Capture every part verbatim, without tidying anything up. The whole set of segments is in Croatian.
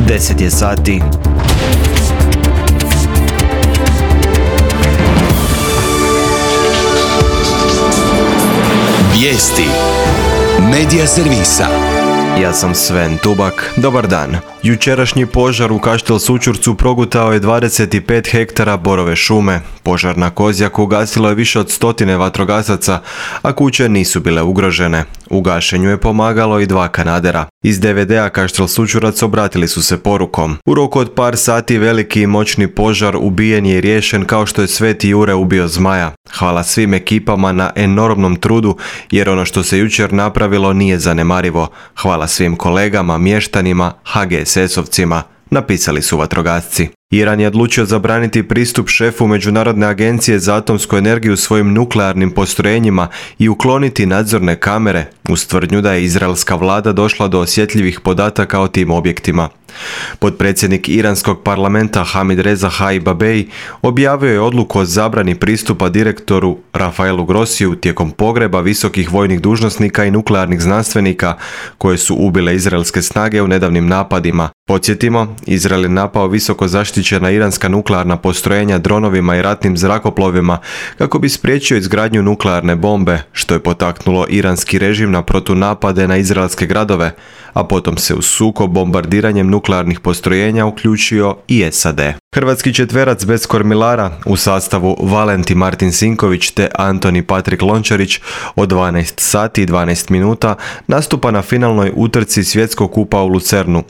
deset je sati. Vijesti Medija servisa. Ja sam Sven Tubak. Dobar dan. Jučerašnji požar u Kaštel Sućurcu progutao je dvadeset pet hektara borove šume. Požar na Kozjaku ugasilo je više od stotine vatrogasaca, a kuće nisu bile ugrožene. U gašenju je pomagalo i dva kanadera. Iz de ve dea Kaštel Sućurac obratili su se porukom: u roku od par sati veliki i moćni požar ubijen je i riješen kao što je Sveti Jure ubio zmaja. Hvala svim ekipama na enormnom trudu, jer ono što se jučer napravilo nije zanemarivo. Hvala svim kolegama, mještanima, ha ge es esovcima, napisali su vatrogasci. Iran je odlučio zabraniti pristup šefu Međunarodne agencije za atomsku energiju svojim nuklearnim postrojenjima i ukloniti nadzorne kamere, uz tvrdnju da je izraelska vlada došla do osjetljivih podataka o tim objektima. Potpredsjednik iranskog parlamenta Hamid Reza Hajibabej objavio je odluku o zabrani pristupa direktoru Rafaelu Grossiju tijekom pogreba visokih vojnih dužnosnika i nuklearnih znanstvenika koje su ubile izraelske snage u nedavnim napadima. Podsjetimo, Izrael je napao visoko zaštićena iranska nuklearna postrojenja dronovima i ratnim zrakoplovima kako bi spriječio izgradnju nuklearne bombe, što je potaknulo iranski režim na protunapade na izraelske gradove, a potom se u sukob bombardiranjem nuklearnih postrojenja uključio i es a de. Hrvatski četverac bez kormilara u sastavu Valenti Martin Sinković te Antoni Patrik Lončarić od dvanaest sati i dvanaest minuta nastupa na finalnoj utrci Svjetskog kupa u Lucernu.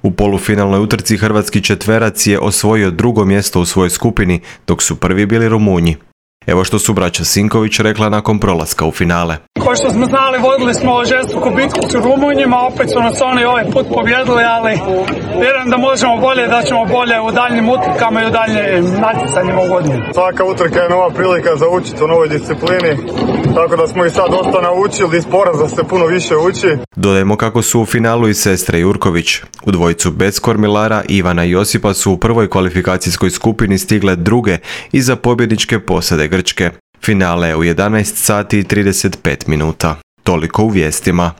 U polufinalnoj utrci hrvatski četverac je osvojio drugo mjesto u svojoj skupini, dok su prvi bili Rumunji. Evo što su braća Sinković rekla nakon prolaska u finale. Ko što smo znali, vodili smo žestoku bitku s Rumunjima, opet su nas oni ovaj put pobjedili, ali vjerujem da možemo bolje, da ćemo bolje u daljnjim utrkama i u daljnjim natjecanjima u godini. Svaka utrka je nova prilika za učiti u novoj disciplini, tako da smo i sad dosta naučili, iz poraza se puno više uči. Dodajmo kako su u finalu i sestre Jurković. U dvojicu bez kormilara Ivana i Josipa su u prvoj kvalifikacijskoj skupini stigle druge iza pobjedničke posade Grčke. Finale je u jedanaest sati i trideset pet minuta. Toliko u vijestima.